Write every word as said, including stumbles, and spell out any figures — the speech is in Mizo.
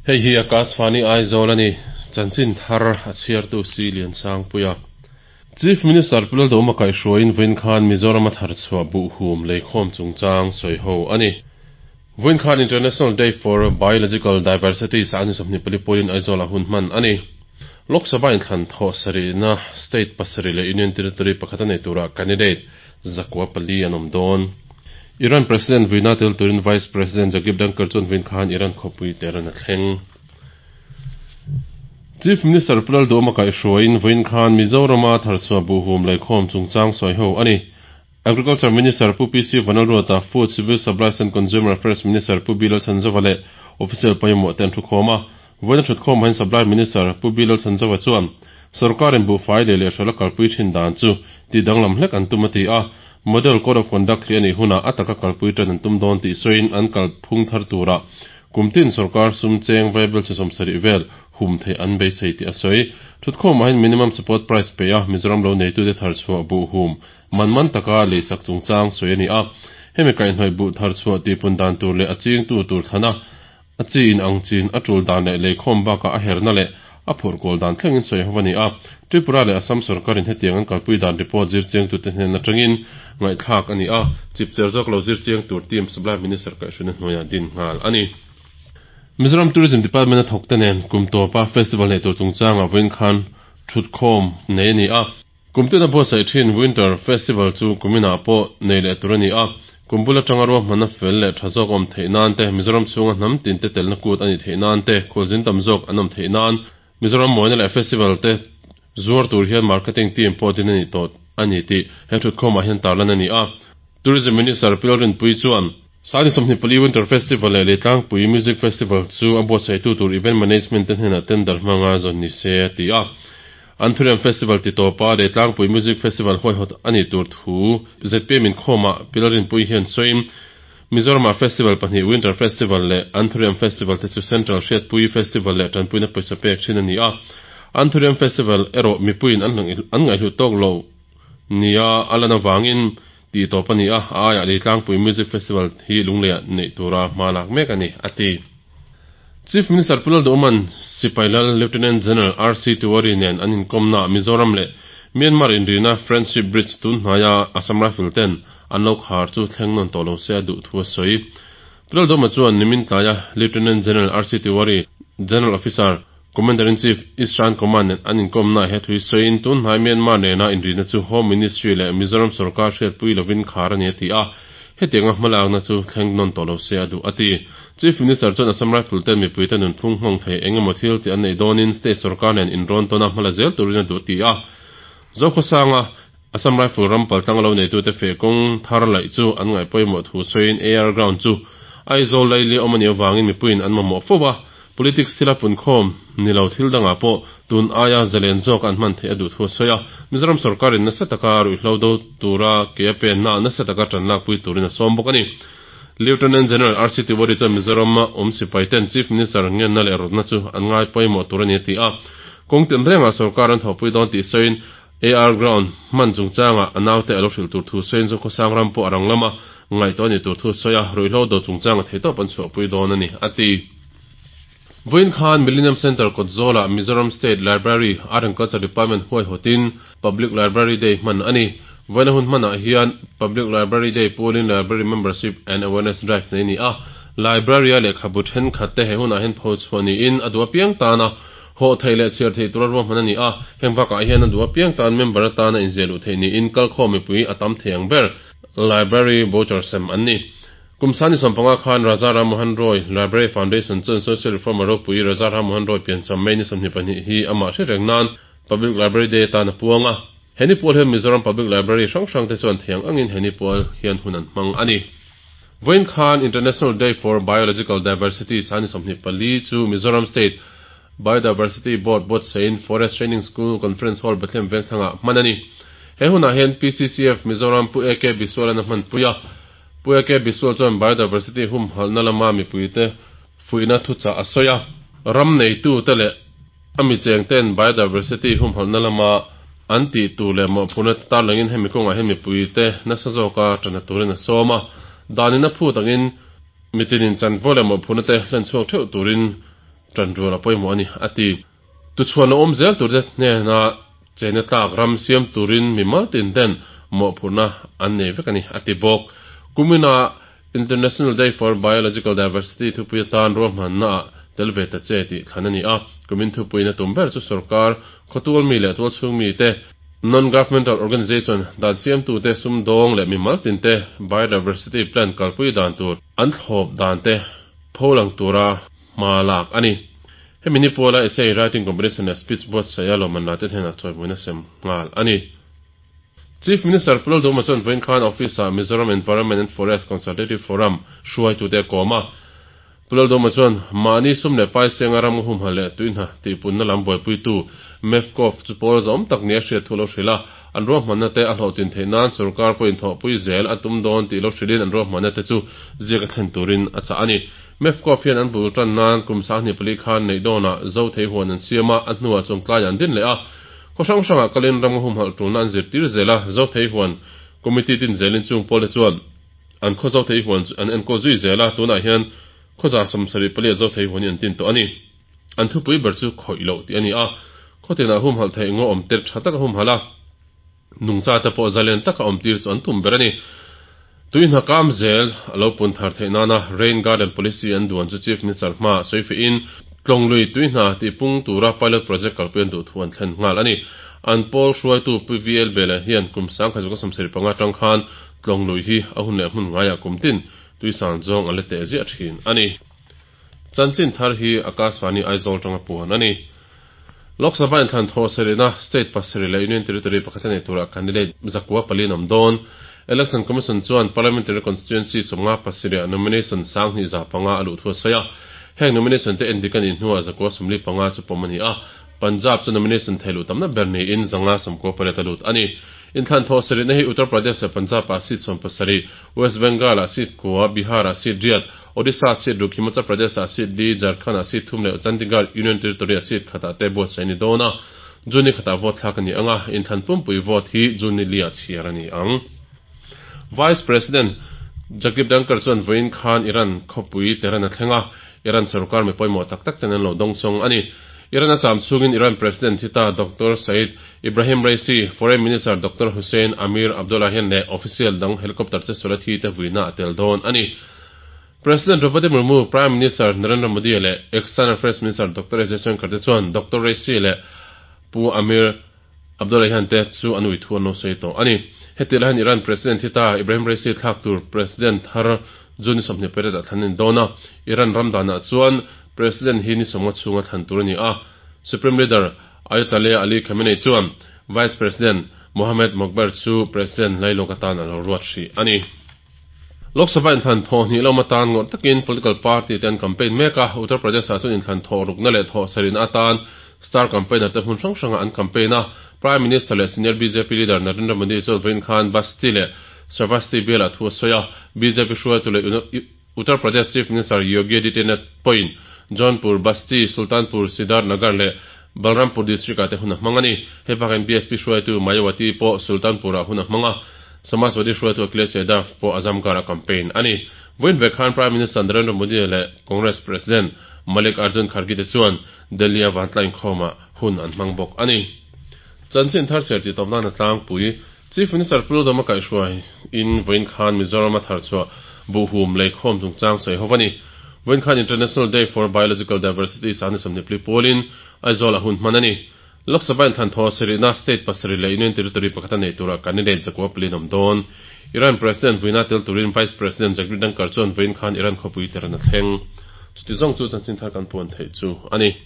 Hei hi Akashvani Aizawl ani chanchin thar a chhiartu si lian sang puia. Chief Minister Pu Lalduhoma kaihhruaiin vawiin khan Mizoram a thar chhuah buh hum leikhawm chungchang sawi ho ani. Vawiin khan International Day for Biological Diversity sangni sawmhnih pali pawhin Aizawl ah hun hman ani. Lok Sabha inthlan thawh sarihna state pasarih leh Union Territory pakhat a nei turah candidate zakua pali an awm dawn. Iran President vuina tel turin Vice President Jagdeep Dhankhar chuan vawiin khan Iran khawpui Tehran a thleng. Chief Minister Pu Lalduhoma kaihhruaiin vawiin khan Mizoram a tharchhuah buhhum leikhawm chungchang sawi ho a ni. Agriculture Minister Pu PC Vanlalruata, Food, Civil Supplies and Consumer Affairs Minister Pu B Lalchhanzova leh official pawimawh te an thukhawm a. Vawiin a thutkhawm ah hian Supply Minister Pu B Lalchhanzova chuan Sorkarin buhfai leh lehhralh a kalpui thin dan chu tih danglam hlek an tum a ti a, Model Code of Conduct hi a nih hunah a taka kalpui tan an tum dawn tih sawiin an kalphung thar turah kumtin sorkar sum cheng vaibel chi sawm sarih vel hum theih an beisei tih a sawi. Thutkhawmah hian Minimum Support Price pe a Mizoram lo neitute thar chhuah buh hum man man taka leisak chungchang sawi a ni a. Hemi kaihhnawih buh thar chhuah tihpun dan tur leh a chingtu tur thlana a chi in ang chin a tul dan leh leikhawm bakah a herna leh a phurh kawl dan thlengin sawi ho a ni a. Tripura leh Assam sorkarin hetiang an kalpui dan report zirchiangtute hnen atangin ngaihthlak a ni a, chipcher zawk lo zirchiang tur team Supply Minister kaihhruina hnuaiah din nghal a ni. Mizoram Tourism Department a thawkte nen kum tawpa festival neih tur chungchangah vawiin khan thutkhawm nei a ni a. Kum tuna buatsaih thin Winter Festival chu kuminah pawh nei leh tur a ni a. Kum bul atanga ruahmanna fel leh tha zawk awm theih nan te, Mizoram chhunga hnam tin te telna kut a nih theih nan te, khualzin tam zawk an awm theih nan, Mizoram mawina leh festival te zuar tur hian marketing team pawh din a ni tawh a ni tih he thutkhawmah hian tarlan a ni a. Tourism Minister Pi Lalrinpuii chuan, Sangni sawmhnih pali Winter Festival leh Leitlangpui Music Festival chu a buatsaihtu tur event management te hnenah tender hmanga zawn ni se a ti a. Anthurium Festival ti tawpa Leitlangpui Music Festival huaihawt a nih tur thu Z P M inkhawmah Pi Lalrinpuii hian sawiin, Mizoramah festival pahnih Winter Festival leh Anthurium Festival te chu Central Hriatpui Festival leh tanpuina pawisa pek thin a ni a. Anthurium Festival erawh mipuiin an an ngaihhlut tawk lo nia a lan avangin tih tawp a ni a, a aiah Leitlangpui Music Festival hi lungleiah neih tura hma lak mek a ni, a ti. Chief Minister Pu Lalduhman Sipai Lal Lieutenant General R C Tiwari nen an inkawmnaah Mizoram leh Myanmar inrina Friendship Bridge tun hnaia Assam Rifle ten an lo khar chu thleng nawn tawh lo se a duh thu a sawi. Pu Lalduhma chuan nimin tlaia Lieutenant General R C Tiwari, General Officer, Commander-in-Chief, Eastern Command nen an inkawmnaah he thui sawiin tun hnai Myanmar nena inrina chu Home Ministry leh Mizoram sorkar hriatpui lovin khar a ni a ti a, hetianga hmalakna chu thleng nawn tawh lo se a duh a ti. Chief Minister chuan Assam Rifle ten mipuite nunphung nghawng thei eng emaw thil tih an neih dawnin state sorkar nen inrawn tawna hmala zel turin a duh a ti a. Zokhawsanga Assam Rifle ram paltlang lo neitute feh kawng thar laih chu an ngaih pawimawh thu sawiin A R ground chu Aizawl laili awm a nih avangin mipuiin an mamawh fo a, politics thila punkhawm ni lo thil dangah pawh tun aia zalen zawk an hman theih a duh thu a sawi a. Mizoram sorkarin nasa taka ruihhlo do tura ke a penna nasa taka tan lakpui turin a sawm bawk a ni. Lieutenant General R C Tiwari chuan Mizoram a awm sipai ten Chief Minister ngenna leh rawtna chu an ngai pawimawh tur a ni a ti a. Kawng tin rengah sorkar an thawhpui dawn tih sawiin A R ground hman chungchangah a naute a lo hrilh tur thu sawiin Zokhawsang ram pawh a rang lama ngaihtuah a ni tur thu sawi a, ruihhlo do chungchanga theitawp an chhuahpui dawn a ni, a ti. Vawiin khan Millennium Centre kawt zawlah Mizoram State Library, Art and Culture Department huaihawtin Public Library Day hman a ni. Vawiin a hun hmanah hian Public Library Day pualin Library Membership and Awareness Drive nei a ni a. Library-a lehkhabu thenkhat te he hunah hian pho chhuah niin a duh apiang tana hawh theih leh chhiar theih tura ruahman a ni a. Heng bakah hian a duh apiang tan member atana inziah luh theih niin kalkhawm mipui a tam thei ang ber Library voucher sem an ni. Kum sangni sawmpanga khan Raja Ram Mohan Roy Library Foundation chuan Social Reformer ropui Raja Ram Mohan Roy piancham May ni sawmhnih pahnih hi amah hre reng nan Public Library Day atan a puang a. Heni pual hian Mizoram Public Library hrang hrang te chuan thiang angin heni pual hian hun an hmang a ni. Vawiin khan International Day for Biological Diversity sangni sawmhnih pali chu Mizoram State Biodiversity Board buatsain Forest Training School Conference Hall Bethlehem Vengthlangah hman a ni. He hunah hian P C C F Mizoram Pu A K Biswal-an a hmanpui a. Pu A K Biswal chuan Biodiversity humhalhna lama mipuite fuihna thuchah a sawi a. Ram neitute leh a mi chengten biodiversity humhalhna lama an tih tur leh mawhphurhna te tarlangin hemi kawngah hian mipuite nasa zawka tana turin a sawm a. Danin a phut angin mitinin chanvo leh mawhphurhna te hlen chhuak theuh turin Tanrual a pawimawh a ni, a ti. Tuchhuan a awm zel tur te hnena chena tlak ram siam turin mimal tin ten mawhphurhna an nei vek a ni, a ti bawk. Kumina International Day for Biological Diversity thupui atan ruahmanna ah tel ve ta che tih thlan a ni a. Kumin thupuiin a tum ber chu sorkar, khawtual mi leh tualchhung mi te, non-governmental organization, dan siamtute, sumdawng leh mimal tin te biodiversity plan kalpui dan tur an thlawp dan te pholang tura hma lak a ni. Hemi ni puala essay writing competition leh speech buatsaih a lawmman la te hnenah chawimawina sem nghal a ni. Chief Minister Pu Lalduhma chuan vawiin khan office ah Mizoram Environment and Forest Consultative Forum hruaitute a kawm a. Pu Lalduhma chuan mahni sum leh pai senga ram humhalh leh tuihna tihpunna lam buaipuitu MEFCOF chu pawl zawm tak nia hriat thu lo hrilh a, an ruahmanna te a hlawhtlin theih nan sorkar pawhin thawhpui zel a tum dawn tih lo hrilhin an ruahmanna te chu ziak a thlen turin a chah a ni. MEFCOF hian an bul tan nan kum sanghnih pali khan neih dawnah zo thei huan an siam a, a hnuah chungtlai an din leh a. Khaw hrang hrangah kalin ram humhalh tulna an zirtir zel a, zo thei huan committee tin zelin chung pawlte chuan an khaw zo thei huan an enkawl zui zel a, tunah hian khaw za sawmsarih pali a zo thei huan hi an tin tawh a ni. An thupui ber chu khawih loh tih a ni a, khaw tinah humhalh theih ngaw awm tir tha taka humhalh a, nungcha te pawh zalen taka awm tir chu an tum ber a ni. Tui hna kam zel a lo pun thar theih nana Rain Garden Policy an duan chu Chief Minister hmaah sawi fihin Tlawnglui tui hna tih pung tura pilot project kalpui an duh thu an thlen nghal a ni. An pawl hruaitu Pu VL Bela hian kum sangkhat zawka sawmsarih panga atang khan Tlawnglui hi a hun leh hmun ngaiah kum tin tui san zawng a la teh ziah thin a ni. Chanchin thar hi Akashvani Aizawl tanga puan a ni. Lok Sabha inthlan thawh sarihna state pasarih leh Union Territory pakhat a nei turah candidate zakua pali an awm dawn. Election Commission chuan Parliamentary Constituency sawmnga pasarihah nomination sanghnih za panga a luh thu a sawi a. Heng nomination te endik a nih hnuah zakua sawmli panga chu pawm a ni a. Punjab chu nomination thei luh tamna ber niin zanga sawmkua pariat a lut a ni. Inthlan thawh sarihna hi Uttar Pradesh leh Punjab-ah seat sawm pasarih, West Bengal-ah seat kua, Bihar-ah seat riat, Odisha seat ruk, Himachal Pradesh-ah seat li, Jharkhand-ah seat thum leh Chandigarh Union Territory-ah seat khatah te buatsaih a ni dawn a. June ni khatah vote thlak a ni ang a, inthlan pumpui vote hi June ni li-ah chhiar a ni ang. Vice President Jagdeep Dhankhar chuan vawiin khan Iran khawpui Tehran a thleng a, Iran sorkar mi pawimawh tak tak ten an lo dawngsawng a ni. Iran a cham chhungin Iran President hi ta Doctor Said Ibrahim Raisi, Foreign Minister Doctor Hussein Amir Abdollahian leh official dang helicopter che suala thi te vuina a tel dawn a ni. President Draupadi Murmu, Prime Minister Narendra Modi leh External Affairs Minister Doctor S Jaishankar te chuan Doctor Raisi leh Pu Amir Abdollahian te chu an ui thu an lo sawi tawh a ni. Heti lai hian Iran President hi ta Ibrahim Raisi thlak tur President thar June ni sawmhnih pariat ah thlan a ni dawn a. Iran ram danah chuan President hi ni sawmnga chhunga thlan tur a ni a. Supreme Leader Ayatollah Ali Khamenei chuan Vice President Mohammad Mokhber chu President lailawk atan a lo ruat hrih a ni. Lok Sabha inthlan thawh hnih lawm atan ngawrh takin political party te an campaign mek a, Uttar Pradesh ah chuan inthlan thawh rukna leh thawh sarihna atan star campaigner te hmun hrang hrangah an campaign a. Prime Minister leh senior bjp leader Narendra Modi chuan vawiin khan Basti leh Shravasti bialah thu a sawi a, bjp hruaitu leh Uttar Pradesh Chief Minister Yogi Adityanath pawhin Jaunpur, Basti, Sultanpur, Siddharthnagar leh Balrampur district ah te hun a hmang a ni. Hei bakah BSP hruaitu Mayawati pawh Sultanpur ah hun a hmang a, Samajwadi hruaitu Akhilesh Yadav pawh Azamgarh a campaign a ni. Vawiin ve khan Prime Minister Narendra Modi leh Congress President Mallikarjun Kharge te chuan Delhi a vantla inkhawmah hun an hmang bawk a ni. Chanchin thar chhiar tih tawp nan a tlangpui. Chief Minister Pu Lalduhoma kaihhruai in vawiin khan Mizoram a tharchhuah buhhum leikhawm chungchang sawi ho a ni. Vawiin khan International Day for Biological Diversity sahni sawmhnih pli pualin Aizawl a hun hman a ni. Lok Sabha inthlan thaw sarihna state pasarih leh Union Territory pakhat a nei turah candidate zakua pali an awm dawn. Iran President vuina tel turin Vice President Jagdeep Dhankhar chuan vawiin khan Iran khawpui Tehran a thleng. Chuti zawng chu chanchin thar kan puan theih chu a ni.